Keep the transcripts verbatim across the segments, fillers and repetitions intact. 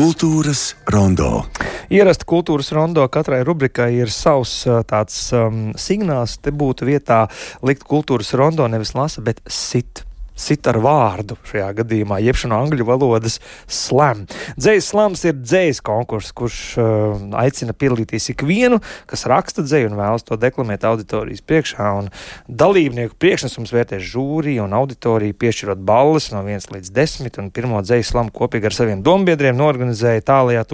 Kultūras rondo. Ierasta kultūras rondo katrai rubrikai ir savs tāds um, signāls. Te būtu vietā likt kultūras rondo nevis lasa, bet sit. Sit ar vārdu šajā gadījumā, jeb no angļu valodas slam. Dzejas slams ir dzejas konkurss, kurš uh, aicina piedalīties ikvienu, kas raksta dzeju un vēlas to deklamēt auditorijas priekšā. Un dalībnieku priekšnesums vērtēs žūrija un auditorija, piešķirot balles no viens līdz desmit, un pirmo dzejas slamu kopīgi ar saviem dombiedriem norganizēja tālajā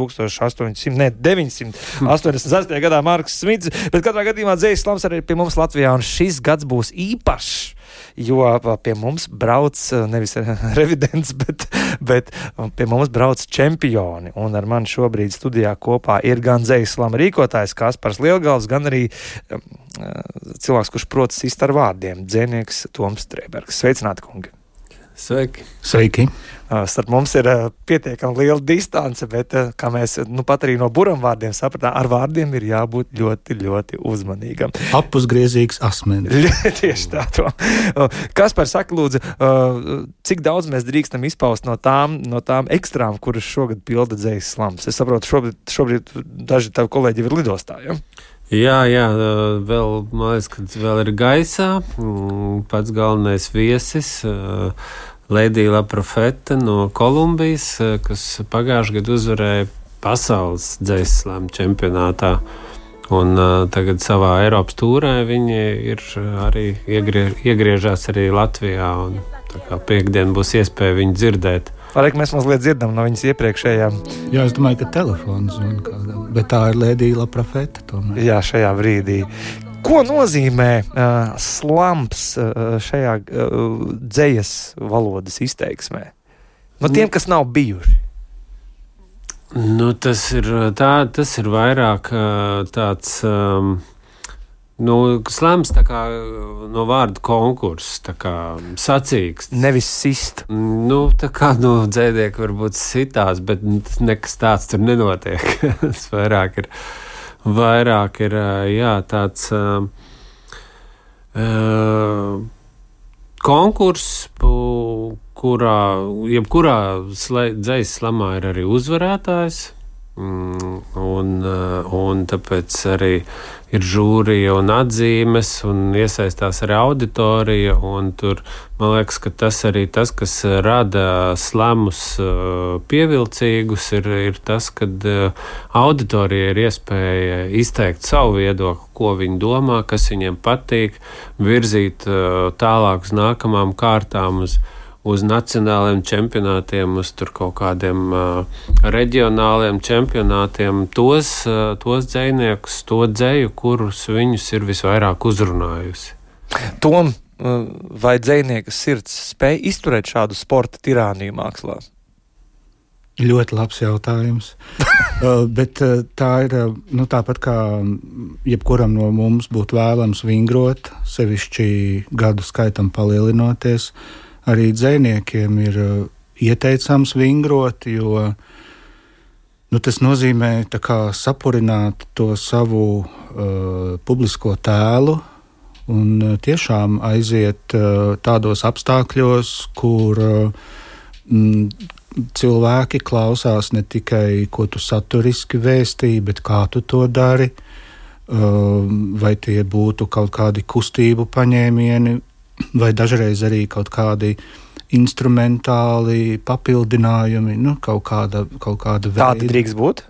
deviņsimt astoņdesmit sestajā gadā Marks Smits, bet katrā gadījumā dzejas slams arī pie mums Latvijā, un šis gads būs īpašs. Jo pie mums brauc nevis revidents, bet, bet pie mums brauc čempioni. Un ar mani šobrīd studijā kopā ir gan dzejas slama rīkotājs Kaspars Lielgals, gan arī uh, cilvēks, kurš protas sist ar vārdiem, dzejnieks Toms Strēbergs. Sveicināti, kungi! Sveiki! Sveiki. Uh, starp mums ir uh, pietiekami liela distance, bet, uh, kā mēs nu pat arī no buram vārdiem sapratām, ar vārdiem ir jābūt ļoti, ļoti uzmanīgam. Apusgriezīgs asmenis. Tieši tā to. Uh, Kaspar, saka, lūdzu, uh, cik daudz mēs drīkstam izpaust no tām, no tām ekstrām, kuras šogad pilda dzejas slams? Es saprotu, šobrīd, šobrīd daži tavi kolēģi ir lidostā, ja? Jā, jā, vēl, man liekas, ka vēl ir gaisā. Pats galvenais viesis, Lēdija La Profeta no Kolumbijas, kas pagājušajā gadā uzvarēja pasaules dzejas slama čempionātā. Un uh, tagad savā Eiropas tūrē viņi ir arī iegriež, iegriežās arī Latvijā. Un, tā kā piekdien būs iespēja viņu dzirdēt. Arī mēs mazliet dzirdam no viņas iepriekšējām. Jā, es domāju, ka telefons un kādam, bet tā ir Lēdija La Profeta tomēr. Jā, šajā brīdī. Ko nozīmē uh, slams uh, šajā uh, dzejas valodas izteiksmē? No tiem, kas nav bijuši. Nu, tas ir, tā, tas ir vairāk uh, tāds... Um, Nu, slams tā kā no vārda konkurss, tā kā sacīksts. Nevis sist. Nu, tā kā no dzēnieki varbūt sitās, bet nekas tāds tur nenotiek. Tas vairāk ir, vairāk ir, jā, tāds uh, uh, konkurss, kurā, jebkurā dzejas slamā ir arī uzvarētājs. Mm, un, un tāpēc arī ir žūrija un atzīmes, un iesaistās arī auditorija, un tur, man liekas, ka tas arī tas, kas rada slamus pievilcīgus, ir, ir tas, kad auditorija ir iespēja izteikt savu viedokli, ko viņi domā, kas viņiem patīk, virzīt tālāk uz nākamām kārtām, uz uz nacionāliem čempionātiem, uz tur kaut kādiem uh, reģionāliem čempionātiem, tos, uh, tos dzejniekus, to dzeju, kurus viņus ir visvairāk uzrunājusi. Tom, uh, vai dzejnieka sirds spēj izturēt šādu sporta tirāniju mākslā? Ļoti labs jautājums. uh, bet uh, tā ir, uh, nu tāpat kā jebkuram no mums būtu vēlams vingrot, sevišķi gadu skaitam palielinoties, arī dzejniekiem ir uh, ieteicams vingrot, jo nu, tas nozīmē tā kā sapurināt to savu uh, publisko tēlu un uh, tiešām aiziet uh, tādos apstākļos, kur uh, m, cilvēki klausās ne tikai, ko tu saturiski vēstīji, bet kā tu to dari, uh, vai tie būtu kaut kādi kustību paņēmieni, vai dažreiz arī kaut kādi instrumentāli papildinājumi, nu, kaut kāda, kaut kāda veida. Tāda drīkst būt?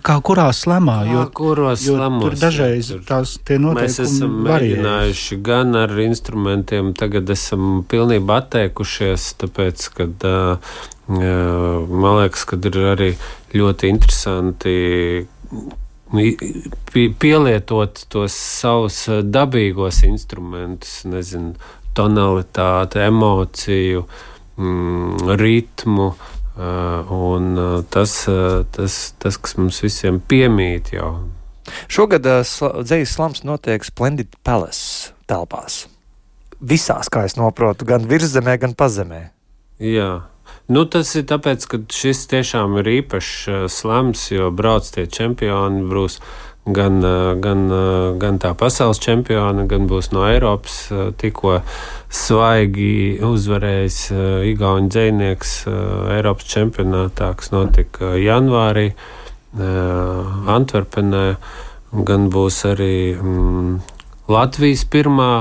Kā kurā slamā, jo, kuros jo slamos, tur dažreiz tur, tās tie noteikumi mēs esam varējuši. Mēģinājuši gan ar instrumentiem, tagad esam pilnībā atteikušies, tāpēc, kad uh, man liekas, kad ir arī ļoti interesanti pielietot tos savus dabīgos instrumentus, nezinu, tonalitāti, emociju, mm, ritmu, uh, un uh, tas, uh, tas, tas, kas mums visiem piemīt jau. Šogad uh, sl- dzejas slams notiek Splendid Palace telpās. Visās, kā es noprotu, gan virszemē, gan pazemē. Jā. Nu, tas ir tāpēc, ka šis tiešām ir īpašs slams, jo brauc tie čempioni, būs gan, gan, gan tā pasaules čempioni, gan būs no Eiropas tikko svaigi uzvarējis igauņu dzejnieks Eiropas čempionātā, kas notika janvārī Antverpenē, gan būs arī mm, Latvijas pirmā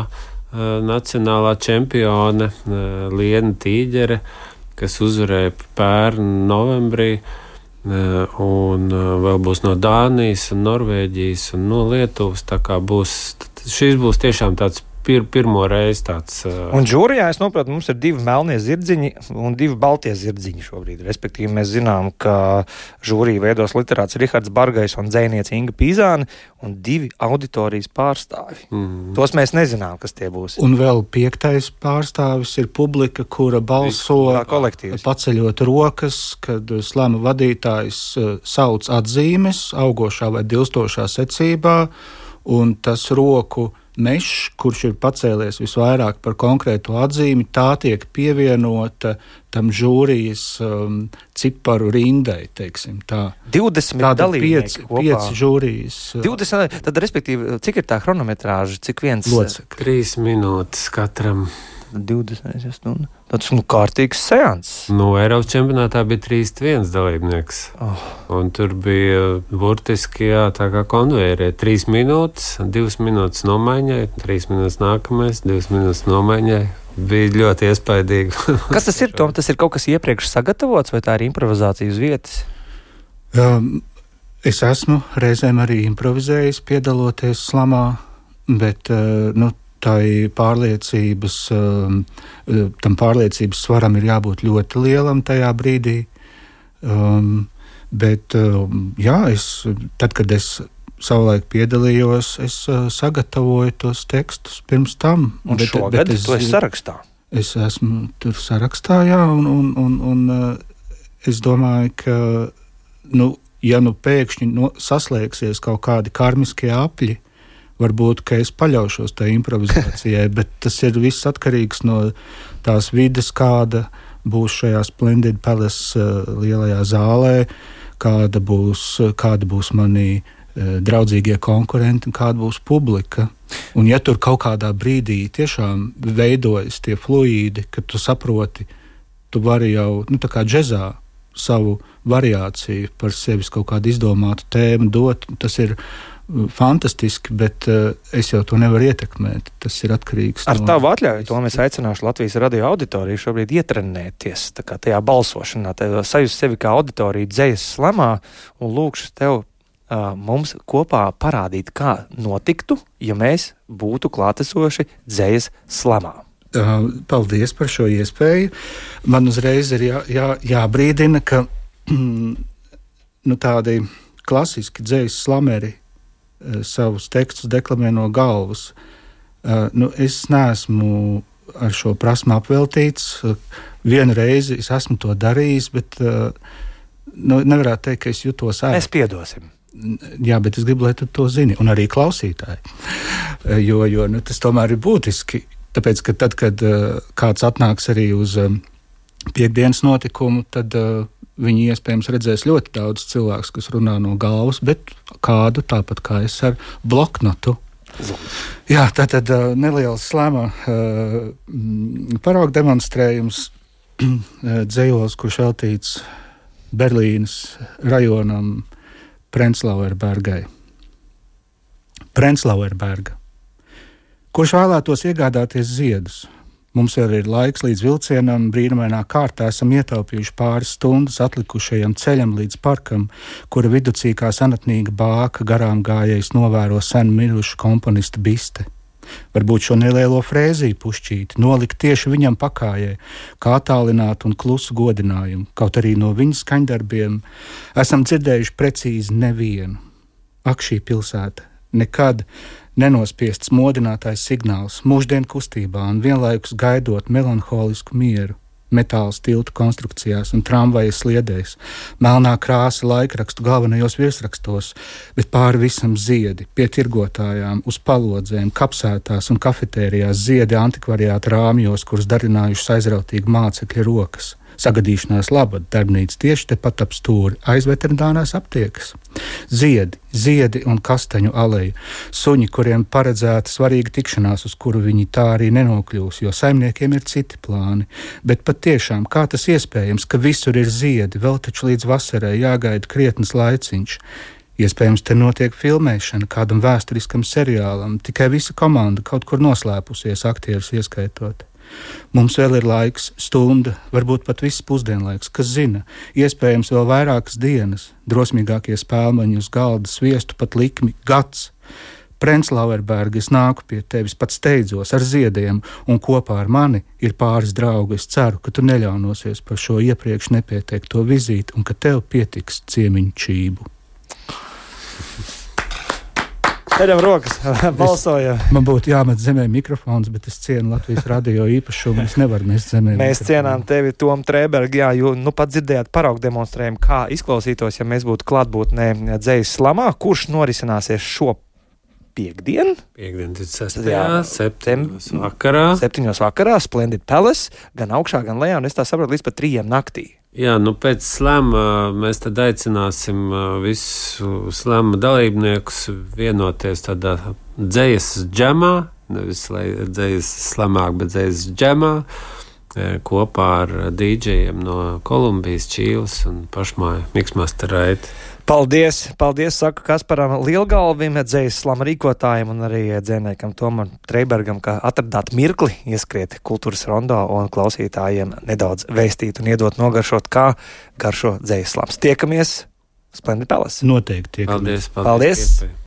nacionālā čempione Liena Tīģere, kas uzvarēja pērn novembrī, un vēl būs no Dānijas un Norvēģijas un no Lietuvas. Tā kā būs, šis būs tiešām tāds pir, pirmo reizi tāds. Un žūrijā, es noprotu, mums ir divi melnie zirdziņi un divi baltie zirdziņi šobrīd. Respektīvi, mēs zinām, ka žūriju veidos literāts Rihards Bargais un dzejniece Inga Pīzāne un divi auditorijas pārstāvi. Mm. Tos mēs nezinām, kas tie būs. Un vēl piektais pārstāvis ir publika, kura balso paceļot rokas, kad slama vadītājs sauc atzīmes augošā vai dilstošā secībā, un tas roku mešs, kurš ir pacēlies visvairāk par konkrētu atzīmi, tā tiek pievienota tam žūrijas um, ciparu rindai, teiksim tā. divdesmit dalībnieki kopā. pieci žūrijas. divdesmit, tad, respektīvi, cik ir tā chronometrāža, cik viens? Locekļi. Trīs minūtes katram. divdesmit stundu. Tāds, nu, kārtīgs seans. Nu, Eiropas čempionātā bija trīsdesmit viens dalībnieks. Oh. Un tur bija burtiski, jā, tā kā konvejeri. Trīs minūtes, divas minūtes nomaiņai, trīs minūtes nākamais, divas minūtes nomaiņai. Bija ļoti iespaidīgi. Kas tas ir, Tom? Tas ir kaut kas iepriekš sagatavots, vai tā ir improvizācija uz vietas? Um, es esmu reizēm arī improvizējis, piedaloties slamā, bet, uh, nu, tai pārliecības, um, tam pārliecības svaram ir jābūt ļoti lielam tajā brīdī. Um, bet, um, jā, es, tad, kad es savulaik piedalījos, es uh, sagatavoju tos tekstus pirms tam. Un bet, šogad bet es, tu esi sarakstā? Es esmu tur sarakstā, jā, un, un, un, un uh, es domāju, ka, nu, ja nu pēkšņi no, saslēgsies kaut kādi karmiskie apļi, varbūt, ka es paļaušos tai improvizācijai, bet tas ir viss atkarīgs no tās vides, kāda būs šajā Splendid Palace uh, lielajā zālē, kāda būs, kāda būs mani uh, draudzīgie konkurenti un kāda būs publika. Un ja tur kaut kādā brīdī tiešām veidojas tie fluīdi, ka tu saproti, tu vari jau, nu tā kā džezā, savu variāciju par sevis kaut kādu izdomātu tēmu dot, tas ir fantastiski, bet uh, es jau to nevaru ietekmēt. Tas ir atkarīgs Ar no... tavu atļauju, to mēs aicināšu Latvijas radio auditoriju šobrīd ietrenēties tā kā tajā balsošanā, tajā sajust sevi kā auditoriju dzejas slamā un lūkšu tev uh, mums kopā parādīt, kā notiktu, ja mēs būtu klātesoši dzejas slamā. Uh, paldies par šo iespēju. Man uzreiz ir jā, jā, jābrīdina, ka nu, tādi klasiski dzejas slameri savus tekstus deklamē no galvas. Uh, nu, es neesmu ar šo prasmu apveltīts. Uh, vienu reizi es esmu to darījis, bet uh, nu, nevarētu teikt, ka es jutos ērti. Mēs piedosim. Jā, bet es gribu, lai tu to zini, un arī klausītāji. Uh, jo jo nu, tas tomēr ir būtiski, tāpēc, ka tad, kad uh, kāds atnāks arī uz um, piekdienas notikumu, tad uh, viņi iespējams redzēs ļoti daudz cilvēkus, kas runā no galvas, bet kādu tāpat kā es ar bloknotu. Jā, tā tad uh, neliels slama uh, parauga demonstrējums dzejols, kurš veltīts Berlīnes rajonam Prenzlauerbergai. Prenzlauerberga. Kurš vēlētos iegādāties ziedus? Mums vēl ir laiks līdz vilcienam, brīnumainā kārtā esam ietaupījuši pāris stundas atlikušajam ceļam līdz parkam, kura viducī kā senatnīga bāka garām gājējs novēro sen mirušu komponista biste. Varbūt šo nelielo frēziju pušķīti nolikt tieši viņam pakājai, kā attālinātu un klusu godinājumu, kaut arī no viņa skaņdarbiem esam dzirdējuši precīzi nevienu. Ak, šī pilsēta nekad nenospiests modinātais signāls mūždien kustībā un vienlaikus gaidot melanholisku mieru, metāla tiltu konstrukcijās un tramvaja sliedēs, melnā krāsa laikrakstu galvenajos virsrakstos, bet pāri visam ziedi, pie tirgotājām, uz palodzēm, kapsētās un kafetērijās ziedi antikvariāta rāmjos, kurus darinājušas aizrautīgi mācekļa rokas. Sagadīšanās labad darbnīca tieši tepat ap stūri aiz veterinārās aptiekas. Ziedi, ziedi un kastaņu aleja, suņi, kuriem paredzēta svarīga tikšanās, uz kuru viņi tā arī nenokļūs, jo saimniekiem ir citi plāni. Bet pat tiešām, kā tas iespējams, ka visur ir ziedi, vēl taču līdz vasarai jāgaida krietnes laiciņš. Iespējams, te notiek filmēšana kādam vēsturiskam seriālam, tikai visa komanda kaut kur noslēpusies, aktierus ieskaitot. Mums vēl ir laiks, stunda, varbūt pat viss pusdienlaiks, kas zina, iespējams vēl vairākas dienas, drosmīgākie spēlmaņi uz galda sviestu pat likmi gads. Prenzlauerberga, es nāku pie tevis, pat steidzos ar ziediem, un kopā ar mani ir pāris draugi. Es ceru, ka tu neļaunosies par šo iepriekš nepieteikto vizīti un ka tev pietiks ciemiņu čību. Ceļam rokas, balsojam. Man būtu jāmet zemē mikrofons, bet es cienu Latvijas radio īpašumu. Es nevaru mest zemē Mēs mikrofonu. cienām tevi, Tom Trēberg, jā, jo nu pat dzirdējāt paraugu demonstrējumu, kā izklausītos, ja mēs būtu klātbūtnē Dzejas slamā, kurš norisināsies šo piekdienu. Piekdien, sestajā septiņos vakarā. Septiņos vakarā, Splendid Palace, gan augšā, gan lejā, un es tā saprotu, līdz pat trījiem naktī. Jā, nu pēc slēma mēs tad aicināsim visu slēma dalībniekus vienoties tādā dzejas džemā, nevis lai dzejas slamāk, bet dzejas džemā, kopā ar dīdžejiem no Kolumbijas, Čīles un pašmāju Miksmaster Raiti. Paldies, paldies, saku Kasparam Lielgalvim, Dzejas slama rīkotājiem un arī dzēniekam Tomam Trēbergam, ka atradāt mirkli ieskriet kultūras rondo un klausītājiem nedaudz vēstīt un iedot nogaršot, kā garšo Dzejas slams. Tiekamies Splendid Palace. Noteikti tiekamies. Paldies, paldies. Paldies.